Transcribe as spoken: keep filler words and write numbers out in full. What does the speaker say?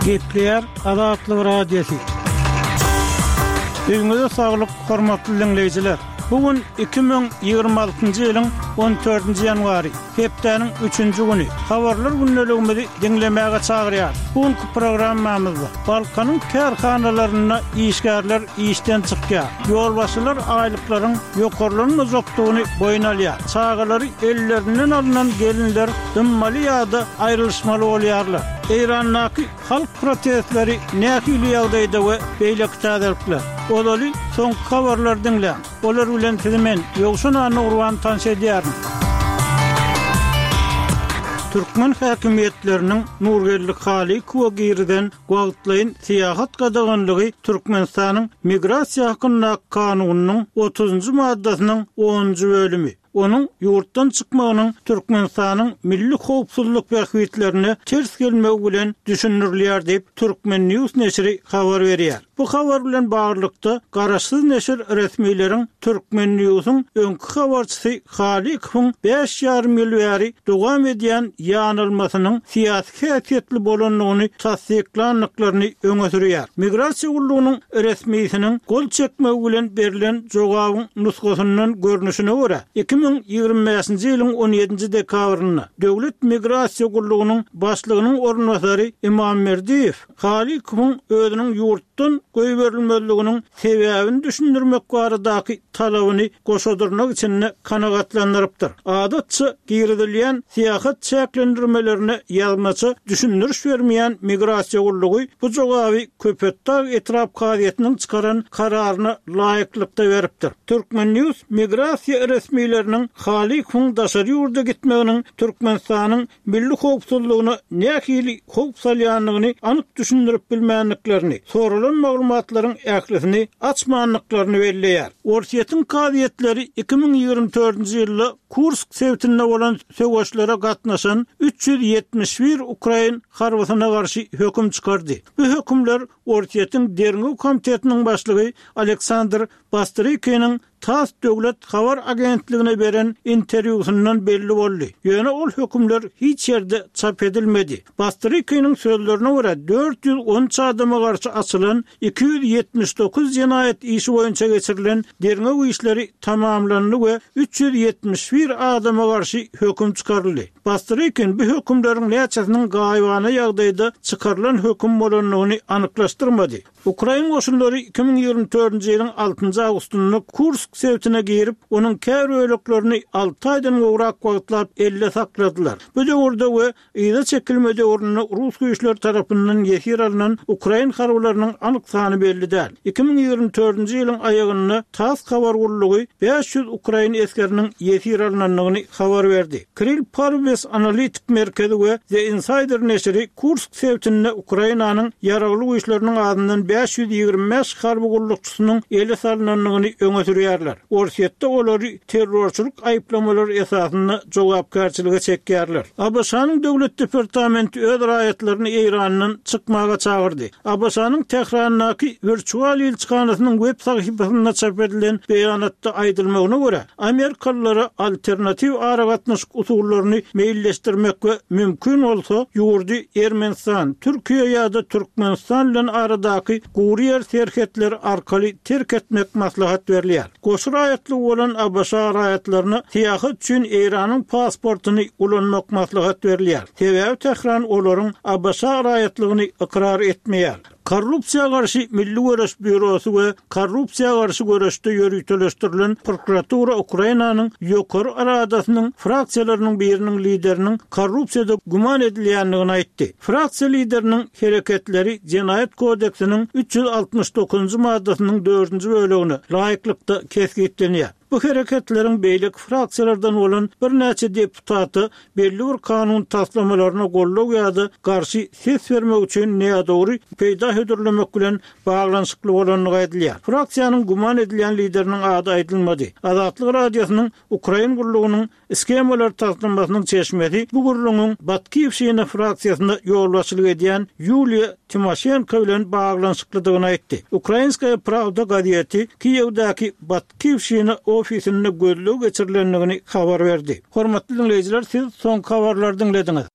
Gepleýär Azatlyk Radiosy. Öňüňize saglyk, hormatly diňleýjiler! Bu gün iki müň ýigrimi altynjy ýylyň on dördünji ýanwary, hepdäniň üçünji güni. Habarlar gündeligimizi diňlemäge çagyrýarys. Bu günki programmamyzda Balkanyň kärhanalarynda işgärler işden çykýar. Ýolbaşçylar aýlyklaryň ýokarlanmajakdygyny boýun alýar. Çagalary ellerinden alnan gelinler dymmaly ýa-da aýrylyşmaly bolýarlar. Eýrandaky halk protestleri nähili ýagdaýda we beýleki täzelikler. Ozaly soňky habarlary diňläň. Olar bilen sizi men, Ýowşan Annagurban tanyş edýärin. Türkmen häkimiýetleriniň Nurgeldi Halykowa girizen wagtlaýyn syýahat gadaganlygy Türkmenistanyň Migrasiýa hakyndaky kanunynyň otuzynjy maddasynyň onunjy bölümi, onuň ýurtdan çykmagynyň Türkmenistanyň milli howpsuzlyk bähbitlerine ters gelmegi bilen düşündirilýär diýip, Turkmen. News neşiri habar berýär. Bu habar bilen baglylykda, garaşsyz neşir resmileriň Turkmen. Newsiň öňki habarçysy Halykowyň bäş ýarym ýyl bäri dowam edýän ýanalmasynyň syýasy häsiýetli bolandygyny tassyklandyklaryny öňe sürýär. Migrasiýa gullugynyň resmisiniň gol çekmegi bilen berlen jogabyň nusgasyndan görnüşine görä, iki müň ýigrimi bäşinji ýylyň on ýedinji dekabrynda Döwlet migrasiýa gullugynyň başlygynyň orunbasary Imamberdiýew Halykowyň özüniň ýurtdan goýberilmezliginiň sebäbini düşündirmek baradaky talabyny goşadyrnak içinde kanagatlandyrypdyr. Adatça girizilýän syýahat çäklendirmelerine ýazmaça düşündiriş bermeýän migrasiýa gullugy bu jogaby Köpetdag etrap kazyýetiniň çykaran kararyna laýyklykda beripdir. Turkmen. News migrasiýa resmileriniň Halykowyň daşary ýurda gitmeginiň Türkmenistanyň milli howpsuzlygyna nähili howp salýandygyny anyk düşündirip bilmändiklerini, soralan maglumatlaryň ählisini açmandyklaryny belleýär. Orsýetiň kazyýetleri iki müň ýigrimi dördünji ýylda Kursk sebitinde bolan söweşlere gatnaşan üç ýüz ýetmiş bir ukrain harbysyna garşy höküm çykardy. Bu hökümler Orsýetiň Derňew komitetiniň başlygy Aleksandr Bastrykiniň TASS döwlet habar agentligine beren interwýusyndan belli boldy. Ýöne ol hökümler hiç ýerde çap edilmedi. Bastrykiniň sözlerine görä, dört ýüz on üç adama garşy açylan iki ýüz ýetmiş dokuz jenaýat işi boýunça geçirilen derňew işleri tamamlandy we üç ýüz ýetmiş bir adama garşy höküm çykaryldy. Bastrykin bu hökümleriň näçesiniň gaýybana ýagdaýda çykarylan höküm bolandygyny anyklaşdyrmady. Ukrain goşunlary iki müň ýigrimi dördünji ýylyň altynjy awgustynda Kursk sebitine girip, onuň käbir böleklerini alty aýdan gowrak wagtlap elde sakladylar. Bu döwürde we yza çekilme döwründe rus güýçleri tarapyndan ýesir alnan ukrain harbylarynyň anyk sany belli däl. Iki müň ýigrimi dördünji ýylyň aýagynda TASS habar gullugy bäş ýüz ukrain esgeriniň ýesir alnandygyny habar berdi. Kirill Parubes analitik merkezi we The Insider neşiri Kursk sebitinde Ukrainanyň Ýaragly Güýçleriniň azyndan bäş ýüz ýigrimi bäş harby gullukçysynyň ele salnandygyny öňe sürýärler. Orsýetde olary terrorçylyk aýyplamalary esasynda jogapkärçilige çekýärler. ABŞ-nyň Döwlet departamenti öz raýatlaryny Eýrandan çykmaga çagyrdy. ABŞ-nyň Tährandaky wirtual ilçihanasynyň web sahypasynda çap edilen beýanatda aýdylmagyna görä, Amerikalylara alternatiw aragatnaşyk usullaryny meýilleşdirmek we mümkin bolsa, ýurdy Ermenistan, Türkiýe ýa-da Türkmenistan bilen aradaky gury ýer serhetleri arkaly terk etmek maslahat berilýär. Goşa raýatlygy bolan ABŞ raýatlaryna syýahat üçin Eýranyň pasportyny ulanmak maslahat berilýär. Sebäbi Tähran olaryň ABŞ raýatlygyny ykrar etmeýär. Korrupsiýa garşy milli göreş býurosy we korrupsiýa garşy göreşde ýöriteleşdirilen prokuratura Ukrainanyň Ýokary Radasynyň fraksiýalarynyň biriniň lideriniň korrupsiýada güman edilýändigini aýtdy. Fraksiýa lideriniň hereketleri Jenaýat kodeksiniň üç ýüz altmyş dokuzynjy maddasynyň dördünji bölegine laýyklykda kesgitlenýär. Bu hereketleriň beýleki fraksiýalardan bolan birnäçe deputata belli bir kanun taslamalaryna goldaw ýa-da garşy ses bermek üçin nädogry peýda hödürlemek bilen baglanyşykly bolandygy aýdylýar. Fraksiýanyň güman edilýän lideriniň ady aýdylmady. Azatlyk Radiosynyň Ukrain gullugynyň Shemalar taslamasynyň çeşmesi bu gürrüňiň Batkiwşina fraksiýasyna ýolbaşçylyk edýän Ýuliýa Timoşenko bilen baglanyşyklydygyny aýtdy. Ukrainskaýa prawda gazeti Kiýewdäki Batkiwşina ofisinde gözleg geçirilendigini habar berdi. Hormatly diňleýjiler, siz soňky habarlary diňlediňiz.